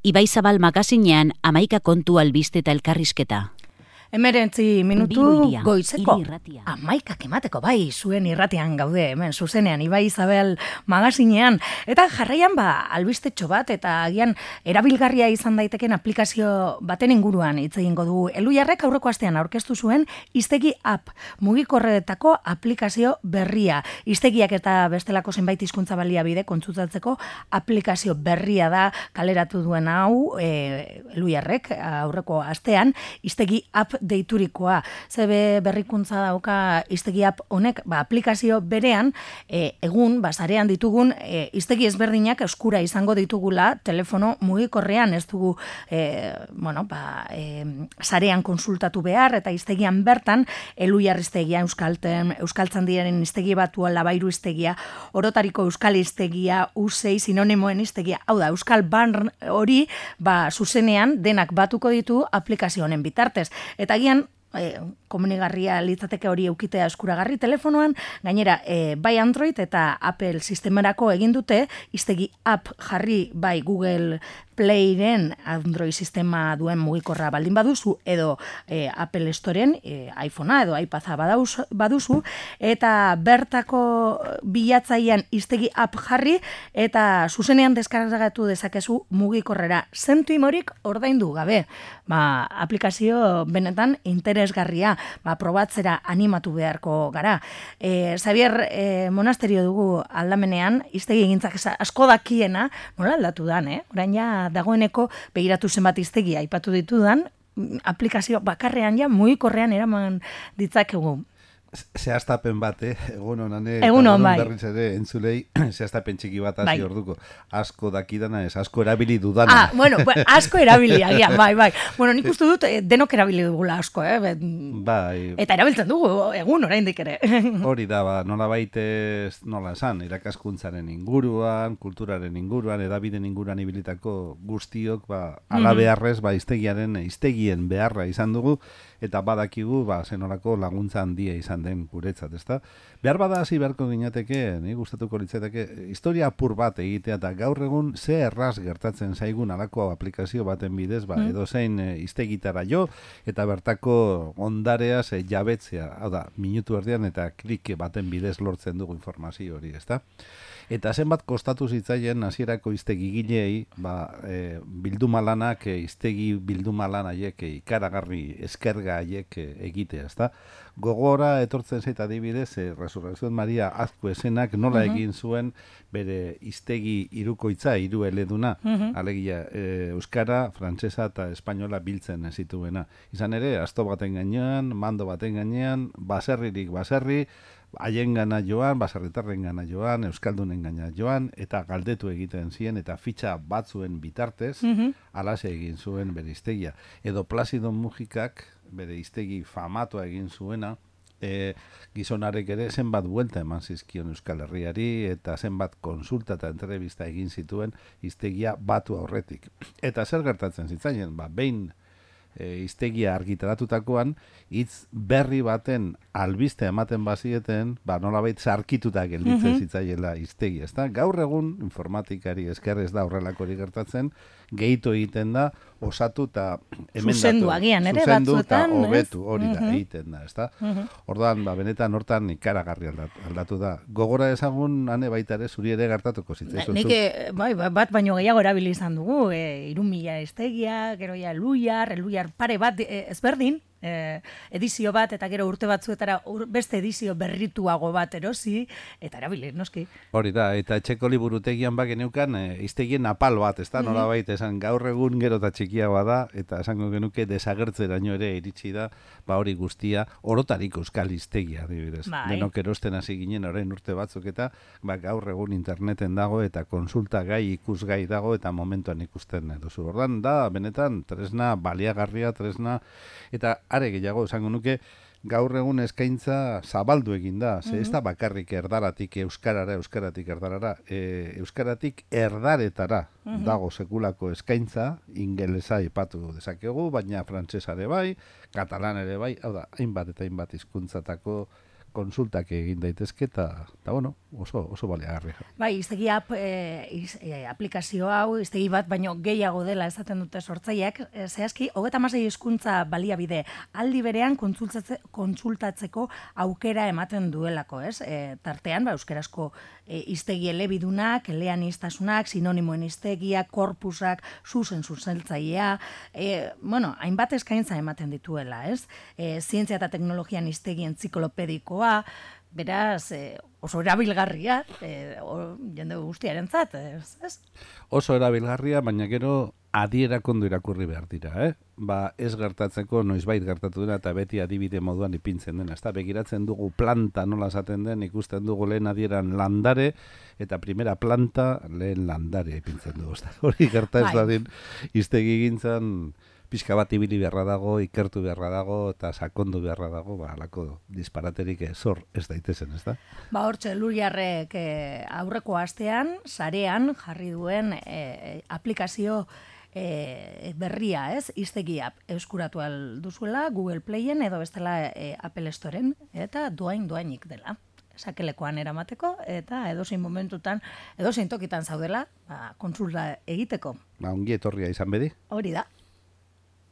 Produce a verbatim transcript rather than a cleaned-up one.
Ibaizabal magazinean amaika kontu albiste eta elkarrizketa. Emerentzi minutu Bilbo goizeko. hiri irratia. Amaikak emateko bai, zuen irratian gaude, hemen zuzenean, Ibai Isabel magazinean. Eta jarraian ba, albistetxo bat, eta agian erabilgarria izan daiteken aplikazio baten inguruan hitz egingo dugu. Elujarrek aurreko astean aurkeztu zuen Hiztegi app, mugikorretako aplikazio berria. Hiztegiak eta bestelako zenbait hizkuntza baliabide kontsultatzeko aplikazio berria da kaleratu duen hau, e, Elujarrek aurreko astean, Hiztegi app deiturikoa. Zebe berrikuntza dauka Hiztegi app honek, ba, aplikazio berean, e, egun, ba, sarean ditugun, e, hiztegi ezberdinak eskura izango ditugula telefono mugikorrean, ez dugu, e, bueno, ba, e, sarean konsultatu behar, eta hiztegian bertan, Elujar hiztegia, Euskalten, Euskaltzandiaren hiztegi batua, Labairu hiztegia, Orotariko Euskal hiztegia, U sei sinonimoen hiztegia, hau da, Euskal Barn hori, ba, zuzenean denak batuko ditu aplikazio honen bitartez. Eta agian, e, komunigarria litzateke hori eukitea eskuragarri telefonoan, gainera, e, bai Android eta Apple sistemarako egin dute, Hiztegi app jarri bai Google Playren Android sistema duen mugikorra baldin baduzu, edo e, Apple Storeen e, iPhonea edo iPada badauz, baduzu, eta bertako bilatzailean Hiztegi app jarri, eta zuzenean deskargatu dezakezu mugikorrera zentuimorik ordaindu gabe. Ba, aplikazio benetan interesgarria, ba, probatzera animatu beharko gara. E, Xavier e, monasterio dugu aldamenean, hiztegi egintzak asko dakiena, nola aldatu dan, eh? Orain ja dagoeneko begiratu zenbat hiztegi aipatu ditudan, aplikazio bakarrean ja mugikorrean eraman ditzakegu. Zehaztapen bat, eh? Egun honan, eh? Egun hon, bai. Berriz ere, entzulei, zehaztapen txiki bat hasi bai. orduko. Asko dakidana ez, asko erabili dudana. Ah, bueno, asko erabili, agian, bai, bai. Bueno, nik uste dut, eh, denok erabili dugula asko, eh? Bet, bai. Eta erabiltzen dugu, egun oraindik ere. Hori da, ba, nola baitez, nola esan, irakaskuntzaren inguruan, kulturaren inguruan, edabiden inguruan ibilitako guztiok, ba, ala beharrez, ba, hiztegiaren, hiztegien beharra izan dugu, eta badakigu, ba, zenolako laguntza handia izan den guretzat, ezta? Behar bada hasi beharko ginateke, ni gustatuko litzateke, historia apur bat egitea, eta gaur egun ze erraz gertatzen zaigun alako aplikazio baten bidez, ba, edozein e, hiztegitara jo, eta bertako ondareaz e, jabetzea, hau da, minutu erdian eta klik baten bidez lortzen dugu informazio hori, ezta? Eta zenbat kostatu zitzaien hasierako hiztegi gilei, ba, e, bilduma lanak, e, hiztegi bilduma lan haiek e, ikaragarri eskerga haiek e, egitea, ezta? Gogora etortzen zait adibidez, e, Resurrección Maria Azkuezenak nola uh -huh. egin zuen bere hiztegi hirukoitza, hiru eleduna, uh -huh. alegia e, euskara, frantsesa eta espainola biltzen zituena. Izan ere, asto baten gainean, mando baten gainean, baserririk baserri, haien gana joan, baserritarren gana joan, euskaldunen gana joan, eta galdetu egiten ziren, eta fitxa batzuen bitartez, uh -huh. alaxe egin zuen bere hiztegia. Edo Placido Mujikak, bere hiztegi famatua egin zuena, e, gizonarek ere zenbat buelta eman zizkion Euskal Herriari, eta zenbat konsulta eta entrevista egin zituen hiztegia batu aurretik. Eta zer gertatzen zitzaien, ba, behin e, hiztegia argitaratutakoan, hitz berri baten albiste ematen bazieten, ba, nolabait zarkituta gelditzen mm -hmm. zitzaiela hiztegi, ezta? Gaur egun informatikari esker ez da horrelakorik gertatzen, gehitu egiten da, osatu eta emendatu. Zuzendu agian, ere, zuzendu batzuetan, eta hobetu, hori da, mm -hmm. egiten da, ezta? Mm -hmm. Orduan, ba, benetan hortan ikaragarri aldatu, aldatu da. Gogora ezagun, hane baita ere, zuri ere gertatuko zitzaizun. Nik, bai, bat baino gehiago erabili izan dugu, e, irumila hiztegia, gero ja Elujar, Elujar pare bat e, ezberdin, E, edizio bat, eta gero urte batzuetara ur, beste edizio berrituago bat erosi, eta erabili, noski. Hori da, eta etxeko liburutegian bak geneukan, e, hiztegien apal bat, ez da, mm -hmm. nola baita, esan gaur egun gero eta txikiagoa da, eta esango genuke desagertzeraino ere iritsi da, ba hori guztia, Orotariko Euskal hiztegia, adibidez. Bai. Denok erosten hasi ginen orain urte batzuk, eta ba, gaur egun interneten dago, eta konsulta gai, ikusgai dago, eta momentuan ikusten duzu. Ordan da, benetan, tresna baliagarria, tresna, eta are gehiago, esango nuke, gaur egun eskaintza zabaldu egin da, ze ez da bakarrik erdaratik euskarara, euskaratik erdarara, e, euskaratik erdaretara dago sekulako eskaintza, ingelesa ipatu dezakegu, baina frantsesare bai, katalan ere bai, hau da, hainbat eta hainbat hizkuntzatako konsultak egin daitezke, eta, eta bueno, oso, oso baliagarria. Bai, iztegi app, e, iz, e, aplikazio hau, iztegi bat, baino gehiago dela esaten dute sortzaileak, e, zehazki, hogeita hamasei hizkuntza baliabide aldi berean kontsultatze, kontsultatzeko aukera ematen duelako, ez? E, tartean, ba, euskerazko e, iztegi elebidunak, eleaniztasunak, sinonimoen iztegiak, korpusak, zuzen zuzeltzailea, e, bueno, hainbat eskaintza ematen dituela, ez? E, zientzia eta teknologian iztegi entziklopedikoa, beraz, e, oso erabilgarria, e, o, jende guztiarentzat, ez, ez? Oso erabilgarria, baina gero adierak ondo irakurri behar dira, eh? Ba, ez gertatzeko noizbait gertatu dena eta beti adibide moduan ipintzen dena. Ezta begiratzen dugu planta nola esaten den, ikusten dugu lehen adieran landare eta primera planta lehen landare ipintzen dugu. Ezta hori gerta ez dadin hiztegi gintzan pixka bat ibili beharra dago, ikertu beharra dago eta sakondu beharra dago, ba halako disparaterik zor ez daitezen, ezta? Ba hortxe Luriarrek e, aurreko astean sarean jarri duen e, aplikazio E, berria, ez, hiztegi app eskuratu al duzuela Google Playen edo bestela e, Apple Storeen, eta doain doainik dela. Sakelekoan eramateko, eta edozein momentutan, edozein tokitan zaudela, ba, kontsulta egiteko. Ba, ongi etorria izan bedi. Hori da.